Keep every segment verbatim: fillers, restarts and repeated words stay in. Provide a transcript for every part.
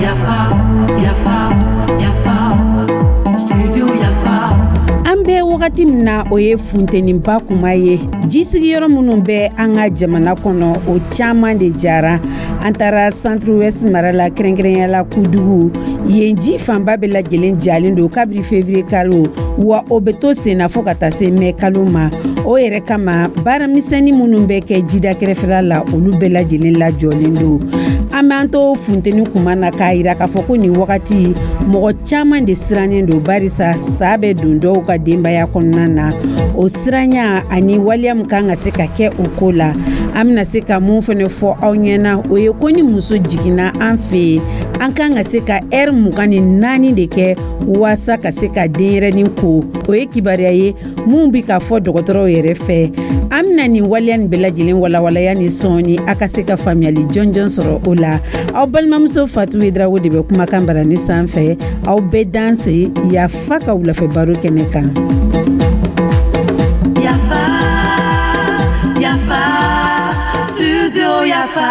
Yafa, yafa, yafa, studio Yafa. An bɛ wagati min na, o ye funteniba kuma ye. Ji sigiyɔrɔ minnu bɛ an ka jamana kɔnɔ, o caman de jara. An taara Centre Ouest mara la, kɛrɛnkɛrɛnyala Kudugu. Yen ji fanba bɛɛ lajɛlen jalen don kabiri février kalo, wa o bɛ to sen na fo ka taa se mɛ kalo ma. O yɛrɛ kama, baaramisɛnnin minnu bɛ kɛ jida kɛrɛfɛla la, olu bɛɛ lajɛlen lajɔlen don. An b'an to funteni kuma na k'a yira k'a fɔ ko nin wagati, mɔgɔ caman de sirannen don, barisa sa bɛ don dɔw ka denbaya kɔnɔna na. O siranya ani waleya min kan ka se ka kɛ o ko la, an bɛna se ka mun fɛnɛ fɔ aw ɲɛna, o ye ko ni muso jiginna an fɛ yen, an kan ka se ka ɛri mugan ni naani de kɛ waasa ka se ka denyɛrɛnin ko. O ye kibaruya ye mun bi ka fɔ dɔgɔtɔrɔw yɛrɛ fɛ. An bɛna nin waleya nin bɛɛ lajɛlen walawalaya ni sɔɔni, a ka se ka faamuyali jɔnjɔn sɔrɔ o la. Aw balimamuso Fatu Yedrago de bɛ kumakan barani sanfɛ. Aw bɛɛ danse Yafa ka wulafɛ baro kɛnɛ kan. Yafa, yafa, studio Yafa.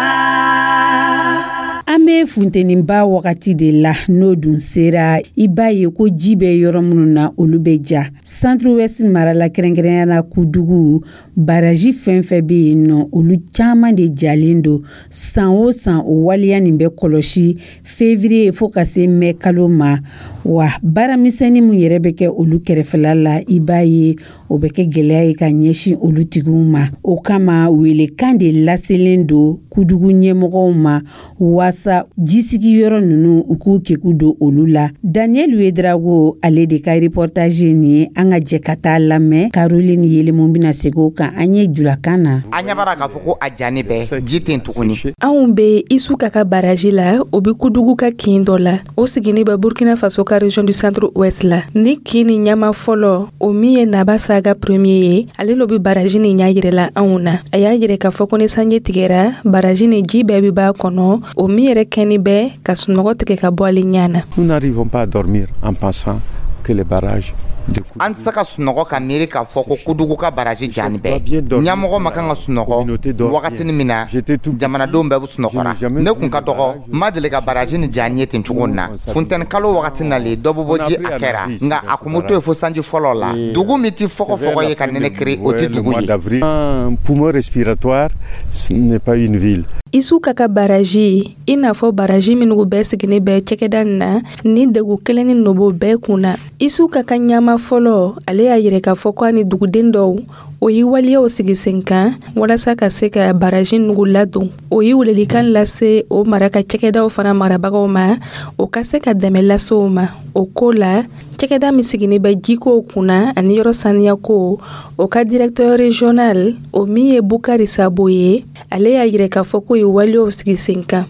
An bɛ funteniba wagati de la. N'o dun sera, i b'a ye ko ji bɛ yɔrɔ minnu na, olu bɛ ja. Centre Ouest mara la, kɛrɛnkɛrɛnya la Kudugu, baraji fɛn fɛn bɛ yen nɔ, olu caman de jalen don. San o san, o waleya nin bɛ kɔlɔsi février fo ka se mɛ kalo ma. Wa baaramisɛnnin min yɛrɛ bɛ kɛ olu kɛrɛfɛla la, i b'a ye o bɛ kɛ gɛlɛya ye ka ɲɛsin olu tigiw ma. O kama, welekan de laselen don Kudugu ɲɛmɔgɔw ma waasa jisigiyɔrɔ ninnu, u k'u keku don olu la. Daniel Wedrago, ale de ka reportage ye nin ye. An ka jɛ ka taa lamɛn. Caroline Yelemu bɛna segin o kan an ye julakan na. An ɲɛ b'a k'a fɔ ko a jannen bɛ, ji tɛ yen tuguni. Anw be Isu ka ka baraji la, o be Kudugu ka kin dɔ la, o sigini bɛ Burkina Faso ka région du Centre Ouest la. Ni kin ni ɲama fɔlɔ, o min ye Naba Saga premier ye, ale lo be baraji ni ɲa yirɛla anw na. A y'a yirɛ k'a fɔ ko ni sanji tigɛra, baraji ni ji bɛɛ be b'a kɔnɔ, o min yɛrɛ kɛni bɛ ka sunɔgɔ tigɛ ka bɔ ale ɲa na. Nous n'arrivons pas à dormir en pensant que les barrages de An tɛ se ka sunɔgɔ ka miiri k'a fɔ ko Kudugu ka baraji jani bɛɛ. Ɲɛmɔgɔ ma kan ka sunɔgɔ wagatini min na, jamanadenw bɛɛ bɛ sunɔgɔra. Ne kun ka dɔgɔ, n ma deli ka baraji ni jani ye ten cogo in na. Funtɛni kalo wagati nalen, dɔ bɛ bɔ ji a kɛra, nka a kun bɛ to yen fo sanji fɔlɔ la. Dugu min tɛ fɔgɔfɔgɔ ye ka nɛnɛ kiri, o tɛ dugu ye. Un poumon respiratoire, ce n'est pas une ville. Isu ka ka baraji, i n'a fɔ baraji minnu bɛɛ sigini bɛ cɛkɛda nin na, ni degu kelen ni nobo bɛɛ kun na. Isu ka ka ɲama fɔlɔ, ale y'a yɛrɛ k'a fɔ ko a ni duguden dɔw, o ye waleyaw sigi sen kan walasa ka se ka baraji nugu ladon. O ye welelikan lase o mara ka cɛkɛdaw fana marabagaw ma, o ka se ka dɛmɛ lase o ma o ko la. Cɛkɛda min sigini bɛ jikow kunna ani yɔrɔ saniyako, o ka directeur régional, o min ye Bukari Sabo ye, ale y'a yirɛ k'a fɔ k'o ye waleyaw sigi sen kan.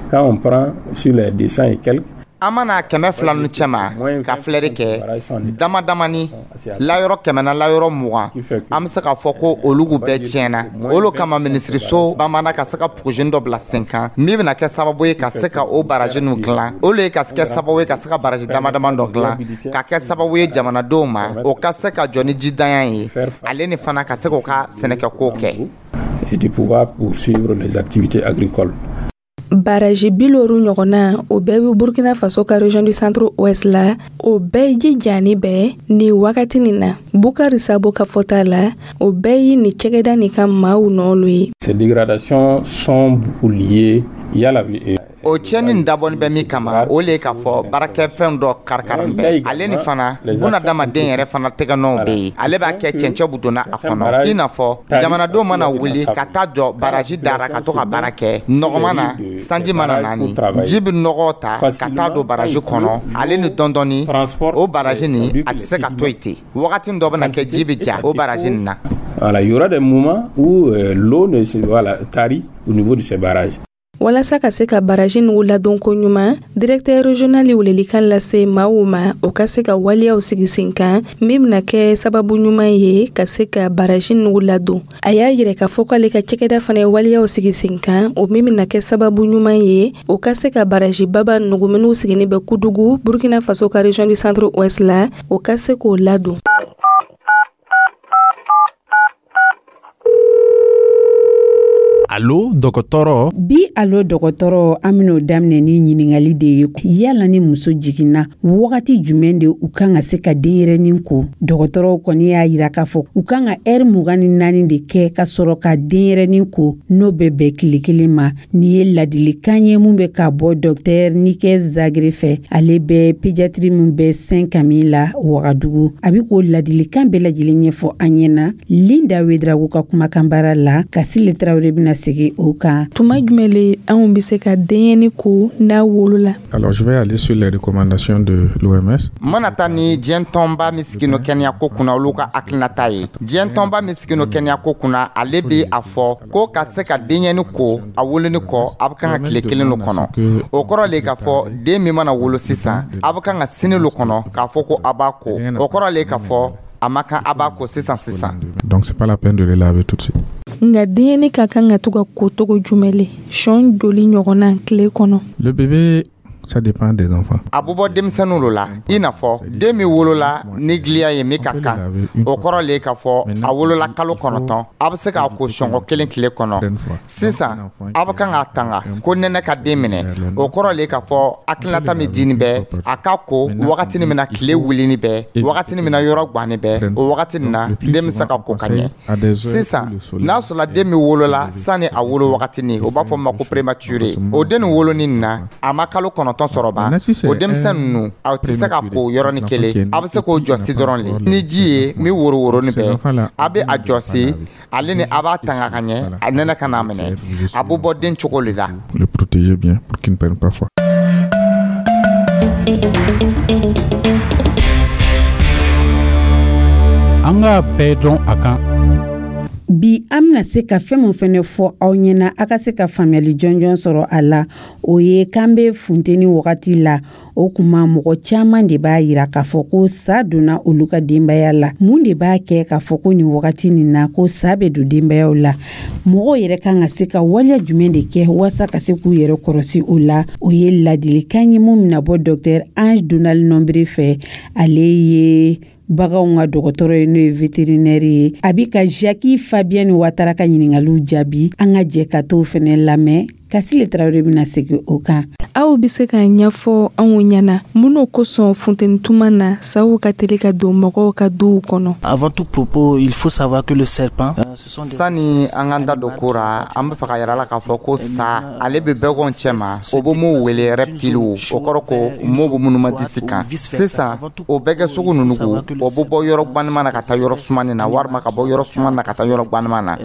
Quand on prend sur les deux cents et quelques, An mana kɛmɛ fila nu cɛma ka filɛri kɛ dama damani, layɔrɔ kɛmɛ na layɔrɔ mugan, an bɛ se k'a fɔ ko olugu bɛɛ tiɲɛna. Olu kama, minisiriso bamana ka se ka projet dɔ bila sen kan min bɛna kɛ sababu ye ka se ka o baraji ninnu dilan. Olu ye ka se kɛ sababu ye ka se ka baraji dama dama dɔ dilan, ka kɛ sababu ye jamanadenw ma, o ka se ka jɔ ni jidanya ye, ale ni fana ka se k'o ka sɛnɛkɛkow kɛ. Et de pouvoir poursuivre les activités agricoles. Baraji bi loru ɲɔgɔnna, o bɛɛ bɛ Burkina Faso ka région du Centre Ouest la. O bɛɛ ji jani bɛɛ nin wagati nin na. Bukari Sabo ka fɔta la, o bɛɛ ye nin cɛgɛda nin ka maaw nɔɔlu ye. Ces dégradations sont beaucoup liées. Il y a la O tiɲɛni dabɔni bɛ min kama, o le ye k'a fɔ baarakɛfɛn dɔ karikarin bɛɛ, ale ni fana bunadamaden yɛrɛ fana tɛgɛnɔw bɛ yen. Ale b'a kɛ cɛncɛn bu donna a kɔnɔ, i n'a fɔ jamanadenw mana wuli ka taa jɔ baraji dara ka to ka baara kɛ nɔgɔma na, sanji mana naani, ji bɛ nɔgɔ ta ka taa don baraji kɔnɔ, ale ni dɔndɔni o baraji nin a tɛ se ka to yen ten. Wagati dɔ bɛna kɛ, ji bɛ ja o baraji nin na. Voilà, il y aura des moments où euh, l'eau ne se, voilà, tarit au niveau de ces barrages. Walasa ka se ka baraji nugu ladon ko ɲuman, directeur régional ye welelikan lase maaw ma, o ka se ka waleyaw sigi sen kan min bena kɛ sababu ɲuman ye ka se ka baraji nugu ladon. A y'a yirɛ k'a fɔ k'ale ka cɛkɛda fana ye waleyaw sigi sen kan, o min bena kɛ sababu ɲuman ye, o ka se ka baraji baba nugu minw sigini bɛ Kudugu, Burkina Faso ka région du Centre Ouest la, o ka se k'o ladon. Allo. Alo dɔgɔtɔrɔ. Bi alo dɔgɔtɔrɔ, an ben'o daminɛ ni ɲiningali de ye: yala ni muso jiginna, wagati jumɛn de u kan ka se ka denyɛrɛnin ko? Dɔgɔtɔrɔw kɔni y'a yira k'a fɔ u kan ka ɛri mugan ni naani de kɛ ka sɔrɔ ka denyɛrɛnin ko, n'o bɛ bɛn tile kelen ma. Nin ye ladilikan ye mun bɛ ka bɔ dɔktɛr Nikɛ Zagre fɛ. Ale bɛ pédiatrie min bɛ Saint Camille la Wagadugu. A bɛ k'o ladilikan bɛɛ lajɛlen ɲɛfɔ an ɲɛna Linda Wedrago ka kumakan baara la. Kasile Tarawele bɛna segin o kan. Tuma jumɛn le anw bɛ se ka denyɛni ko n'a wolola? Alors, je vais aller sur les recommandations de l'O M S. Mana taa ni diɲɛ tɔnba min sigino kɛnɛya ko kunna, olu ka hakilinata ye. Diɲɛ tɔnba min sigino kɛnɛya ko kunna, ale bɛ a fɔ ko ka se ka denyɛni ko a woloni kɔ, a bɛ kan ka tile kelen lo kɔnɔ. O kɔrɔ le k'a fɔ den min mana wolo sisan, a bɛ kan ka sini lo kɔnɔ k'a fɔ ko a b'a ko. O kɔrɔ le k'a fɔ a ma kan a b'a ko sisan sisan. Donc, c'est pas la peine de les laver tout de suite. Nka denyɛni ka kan ka to ka ko togo jumɛn le, sɔn joli ɲɔgɔnna tile kɔnɔ? Le bébé, ça dépend des enfants. A bɛ bɔ denmisɛnninw lo la. I n'a fɔ den min wolola ni giliya ye min ka kan, o kɔrɔ le k'a fɔ a wolola kalo kɔnɔntɔn, a bɛ se k'a ko sɔngɔ kelen tile kɔnɔ. Sisan a bɛ kan k'a tanga ko nɛnɛ ka den minɛ. O kɔrɔ le k'a fɔ hakilinata min dini bɛ a ka ko wagati min na tile wulini bɛ, wagati min na yɔrɔ ganni bɛ, o wagati nin na den bɛ se ka ko ka ɲɛ. Sisan n'a sɔrɔla den min wolola sani a wolo wagati nin, o b'a fɔ ma ko prématuré, o den nin woloni nin na, a ma kalo kɔnɔntɔn sɔrɔ ban, o denmisɛn ninnu, aw tɛ se ka ko yɔrɔnin kelen. A bɛ se k'o jɔsi dɔrɔn le ni ji ye min woro woroni bɛ. A bɛ a jɔsi ale ni a b'a tanga ka ɲɛ, a nɛnɛ ka n'a minɛ. A bɛ bɔ den cogo le la. Le protéger bien pour qu'il ne prenne pas froid. An k'a bɛɛ dɔn a kan. Bi an bɛna se ka fɛn min fɛnɛ fɔ aw ɲɛna, a ka se ka faamuyali jɔnjɔn sɔrɔ a la, o ye k'an bɛ funteni wagati la. O kuma, mɔgɔ caman de b'a yira k'a fɔ ko sa donna olu ka denbaya la. Mun de b'a kɛ k'a fɔ ko nin wagati nin na ko sa bɛ don denbayaw la? Mɔgɔw yɛrɛ kan ka se ka waleya jumɛn de kɛ waasa ka se k'u yɛrɛ kɔrɔsi o la? O ye ladilikan ye mun bɛna bɔ dɔktɛr Ange Donald Nɔnbere fɛ. Ale ye baganw ka dɔgɔtɔrɔ ye, n'o ye vétérinaire ye. A bi ka Jacques Fabien Watara ka ɲiningaliw jaabi. An ka jɛ ka t'o fɛnɛ lamɛn. Kasile Tarawele bɛna segin o kan. Aw bɛ se k'a ɲɛfɔ anw ɲɛna mun n'o kosɔn funteni tuma na saw ka teli ka don mɔgɔw ka duw kɔnɔ? Avant tout propos, il faut savoir que le serpent, euh, ce sont des Sani an k'an da don ko ra, an bɛ fɛ ka yira la k'a fɔ ko sa, ale bɛ bɛgɔn cɛ ma, o bɛ mun wele reptiliw, o kɔrɔ ko mo bɛ minnu ma disi kan. Sisan o bɛɛ kɛ sugu ninnu ko, o bɛ bɔ yɔrɔ gbanima na ka taa yɔrɔ sumani na, walima ka bɔ yɔrɔ sumani na ka taa yɔrɔ gbanima na.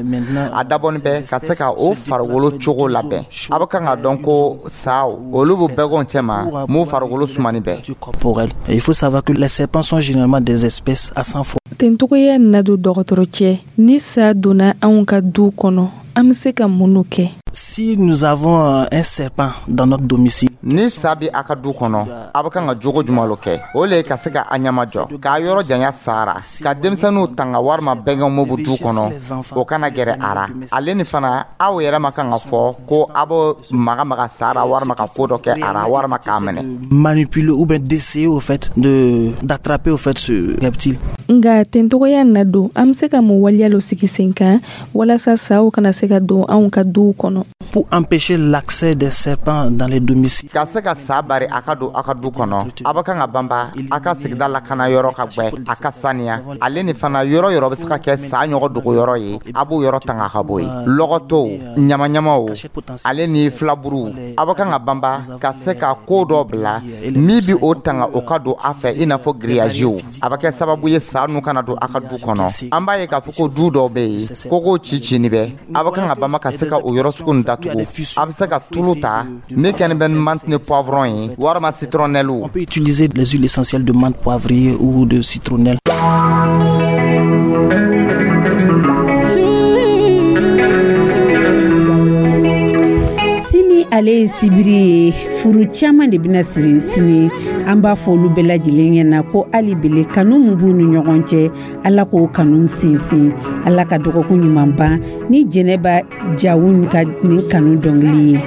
A dabɔnin bɛ ka se ka o farikolo cogo labɛn. A bɛ kan ka dɔn ko saw, olu bɛ bɛgɔn cɛ ma mun farikolo sumani bɛɛ. Corporel. Il faut savoir que les serpents sont généralement des espèces à sang froid. Tencogoya na don dɔgɔtɔrɔ cɛ, ni sa donna anw ka du kɔnɔ, an bɛ se ka mun n'o kɛ? Si nous avons euh, un serpent dans notre domicile, Ni sa bɛ a ka du kɔnɔ, a bɛ kan ka jogo jumɛn lo kɛ? O le ye ka se ka a ɲama jɔ k'a yɔrɔ janya sara, ka denmisɛnninw tanga walima bɛnkɛw mun bɛ du kɔnɔ, o kana gɛrɛ a ra. Ale ni fana, aw yɛrɛ ma kan ka fɔ ko a bɛ maga maga sara, walima ka ko dɔ kɛ a ra, walima k'a minɛ. Manipuler ou bien d'essayer au fait de d'attraper au fait ce reptile. Nka tencogoya na don, an bɛ se ka mun waleya lo sigi sen kan walasa saw kana se ka don anw ka duw kɔnɔ? Pour empêcher l'accès des serpents dans les domiciles, Ka se ka sa bari a ka don a ka du kɔnɔ, a bɛ kan ka banba a ka sigida lakana yɔrɔ ka gwɛ, a ka saniya. Ale ni fana, yɔrɔ yɔrɔ bɛ se ka kɛ sa ɲɔgɔn dogo yɔrɔ ye, a b'o yɔrɔ tanga ka bɔ yen. Lɔgɔtow, ɲamaɲamaw, ale ni filaburuw, a bɛ kan ka banba ka se ka ko dɔ bila min bi o tanga o ka don a fɛ, i n'a fɔ giriyaziw. A bɛ kɛ sababu ye sa nu kana don a ka du kɔnɔ. An b'a ye k'a fɔ ko du dɔw bɛ yen, kogo ci cini bɛ. A bɛ kan ka banba ka se ka o yɔrɔ sugu nin datugu. A bɛ se ka tulu ta min kɛni bɛ ni menthe ni poivron ye, walima citronnelle. On peut utiliser les huiles essentielles de menthe poivrée ou de citronnelle. Sini, ale ye sibiri ye, furu caman de bɛna siri sini. An b'a fɔ olu bɛɛ lajɛlen ɲɛna ko hali bele kanu min b'u ni ɲɔgɔn cɛ, Ala k'o kanu sinsin. Ala ka dɔgɔkun ɲuman ban ni Jɛnɛba Jawun ka nin kanu dɔnkili ye.